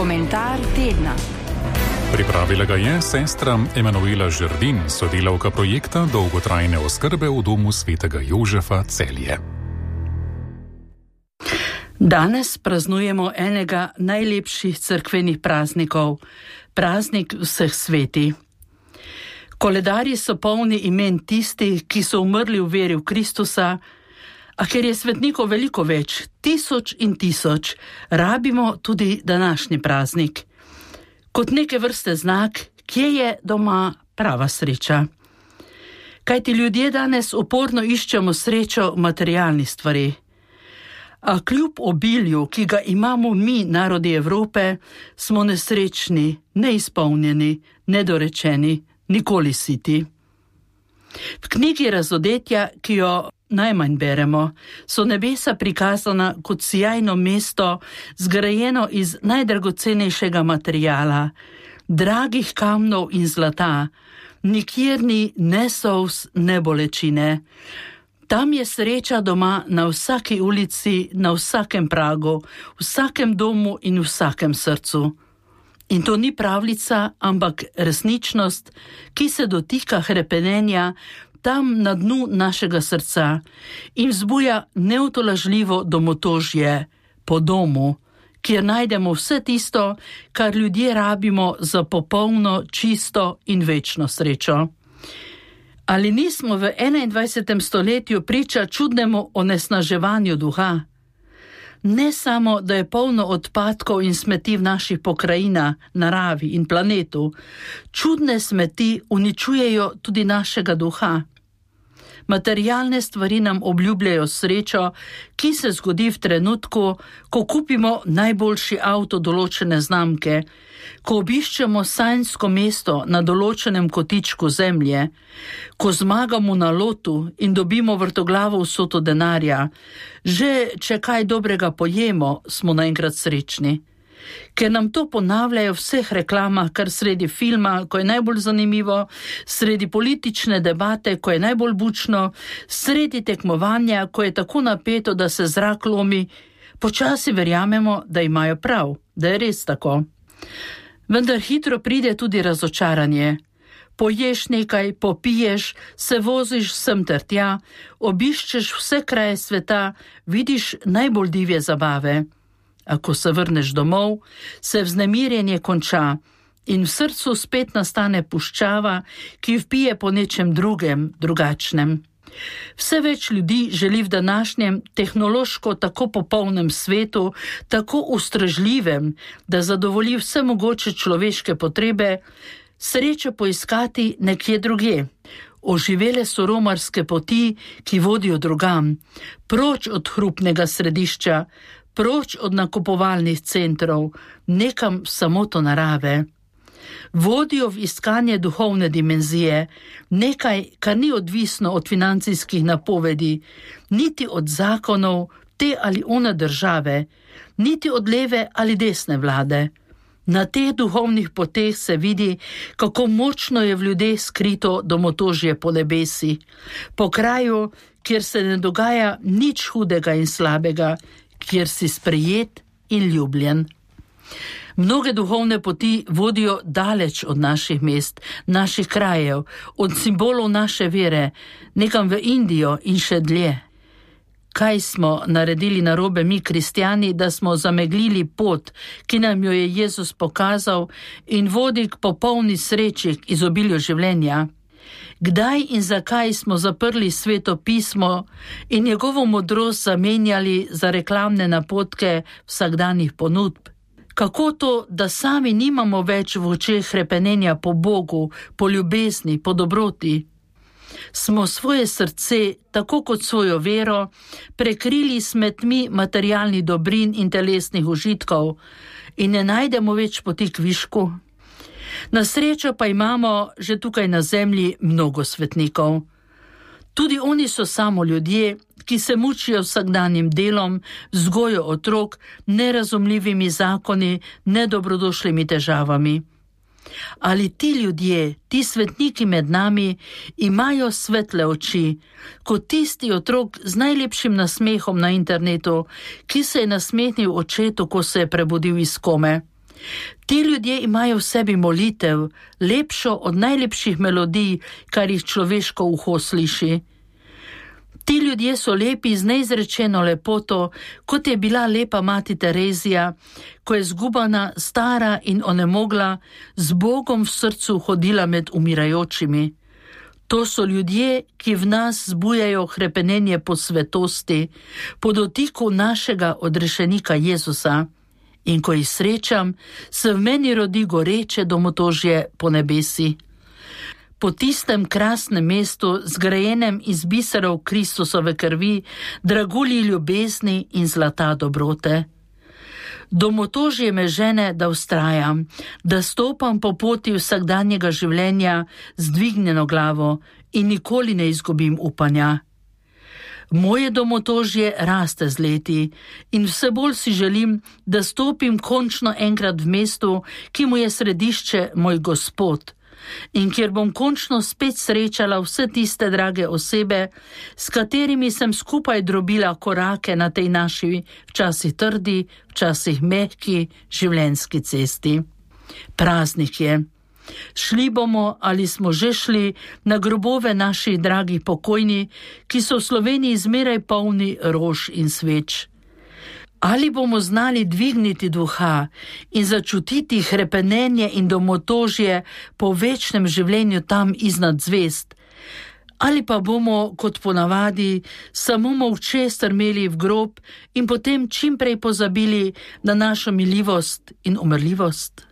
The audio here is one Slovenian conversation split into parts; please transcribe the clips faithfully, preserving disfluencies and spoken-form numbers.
Komentar tedna. Pripravila ga je sestra Emanuela Žerdin, sodelavka projekta dolgotrajne oskrbe v domu svetega Jožefa Celje. Danes praznujemo enega najlepših cerkvenih praznikov, praznik vseh sveti. Koledarji so polni imen tistih, ki so umrli v veri v Kristusa, a ker je svetnikov veliko več, tisoč in tisoč, rabimo tudi današnji praznik. Kot neke vrste znak, kje je doma prava sreča. Kajti ljudje danes uporno iščemo srečo v materialnih stvareh. A kljub obilju, ki ga imamo mi, narodi Evrope, smo nesrečni, neizpolnjeni, nedorečeni, nikoli siti. V knjigi Razodetja, ki jo najmanj beremo, so nebesa prikazana kot sijajno mesto, zgrajeno iz najdragocenejšega materiala, dragih kamnov in zlata, nikjer ni ne solz, ne bolečine. Tam je sreča doma na vsaki ulici, na vsakem pragu, vsakem domu in vsakem srcu. In to ni pravljica, ampak resničnost, ki se dotika hrepenenja tam na dnu našega srca in vzbuja neutolažljivo domotožje po domu, kjer najdemo vse tisto, kar ljudje rabimo za popolno, čisto in večno srečo. Ali nismo v enaindvajsetem stoletju priča čudnemu onesnaževanju duha? Ne samo, da je polno odpadkov in smeti v naših pokrajinah, naravi in planetu, čudne smeti uničujejo tudi našega duha. Materialne stvari nam obljubljajo srečo, ki se zgodi v trenutku, ko kupimo najboljši avto določene znamke, ko obiščemo sanjsko mesto na določenem kotičku zemlje, ko zmagamo na lotu in dobimo vrtoglavo vsoto denarja, že če kaj dobrega pojemo, smo naenkrat srečni. Ker nam to ponavljajo v vseh reklamah, kar sredi filma, ko je najbolj zanimivo, sredi politične debate, ko je najbolj bučno, sredi tekmovanja, ko je tako napeto, da se zrak lomi, počasi verjamemo, da imajo prav, da je res tako. Vendar hitro pride tudi razočaranje. Poješ nekaj, popiješ, se voziš sem ter tja, obiščeš vse kraje sveta, vidiš najbolj divje zabave. A ko se vrneš domov, se vznemirjenje konča in v srcu spet nastane puščava, ki vpije po nečem drugem, drugačnem. Vse več ljudi želi v današnjem tehnološko tako popolnem svetu, tako ustrežljivem, da zadovolji vse mogoče človeške potrebe, srečo poiskati nekje drugje. Oživele so romarske poti, ki vodijo drugam, proč od hrupnega središča, proč od nakupovalnih centrov, nekam v samoto narave. Vodijo v iskanje duhovne dimenzije, nekaj, kar ni odvisno od financijskih napovedi, niti od zakonov te ali one države, niti od leve ali desne vlade. Na teh duhovnih poteh se vidi, kako močno je v ljudeh skrito domotožje po nebesi, po kraju, kjer se ne dogaja nič hudega in slabega, kjer si sprejet in ljubljen. Mnoge duhovne poti vodijo daleč od naših mest, naših krajev, od simbolov naše vere, nekam v Indijo in še dlje. Kaj smo naredili narobe mi, kristjani, da smo zameglili pot, ki nam jo je Jezus pokazal in vodi k popolni sreči, k izobilju življenja? Kdaj in zakaj smo zaprli Sveto pismo in njegovo modrost zamenjali za reklamne napotke vsakdanjih ponudb? Kako to, da sami nimamo več v očeh hrepenenja po Bogu, po ljubezni, po dobroti? Smo svoje srce, tako kot svojo vero, prekrili smetmi materialnih dobrin in telesnih užitkov in ne najdemo več poti k višku? Na srečo pa imamo že tukaj na zemlji mnogo svetnikov. Tudi oni so samo ljudje, ki se mučijo vsakdanjim delom, vzgojo otrok, nerazumljivimi zakoni, nedobrodošlimi težavami. Ali ti ljudje, ti svetniki med nami, imajo svetle oči, kot tisti otrok z najlepšim nasmehom na internetu, ki se je nasmehnil očetu, ko se je prebudil iz kome? Ti ljudje imajo v sebi molitev, lepšo od najlepših melodij, kar jih človeško uho sliši. Ti ljudje so lepi z neizrečeno lepoto, kot je bila lepa mati Terezija, ko je zgubana, stara in onemogla, z Bogom v srcu hodila med umirajočimi. To so ljudje, ki v nas zbujajo hrepenenje po svetosti, po dotiku našega odrešenika Jezusa. In ko jih srečam, se v meni rodi goreče domotožje po nebesi. Po tistem krasnem mestu, zgrajenem iz biserov Kristusove krvi, dragulji ljubezni in zlata dobrote. Domotožje me žene, da vztrajam, da stopam po poti vsakdanjega življenja z dvignjeno glavo in nikoli ne izgubim upanja. Moje domotožje raste z leti in vse bolj si želim, da stopim končno enkrat v mestu, ki mu je središče moj Gospod, in kjer bom končno spet srečala vse tiste drage osebe, s katerimi sem skupaj drobila korake na tej naši včasih trdi, včasih mehki življenjski cesti. Praznik je. Šli bomo ali smo že šli na grobove naših dragih pokojni, ki so v Sloveniji zmeraj polni rož in sveč. Ali bomo znali dvigniti duha in začutiti hrepenenje in domotožje po večnem življenju tam iznad zvest? Ali pa bomo, kot ponavadi, samo molče strmeli v grob in potem čimprej pozabili na našo miljivost in umrljivost?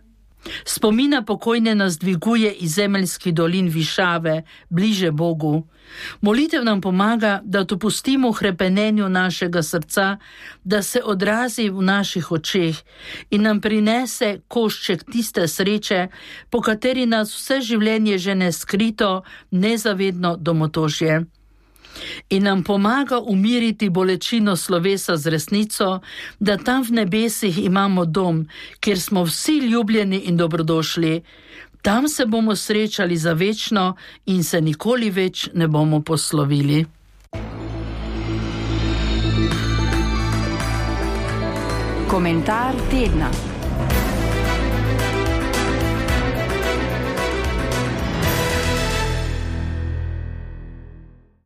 Spomina pokojne nas dviguje iz zemeljskih dolin višave, bliže Bogu. Molitev nam pomaga, da dopustimo hrepenenju našega srca, da se odrazi v naših očeh in nam prinese košček tiste sreče, po kateri nas vse življenje žene skrito, nezavedno domotožje. In nam pomaga umiriti bolečino slovesa z resnico, da tam v nebesih imamo dom, kjer smo vsi ljubljeni in dobrodošli. Tam se bomo srečali za večno in se nikoli več ne bomo poslovili. Komentar tedna.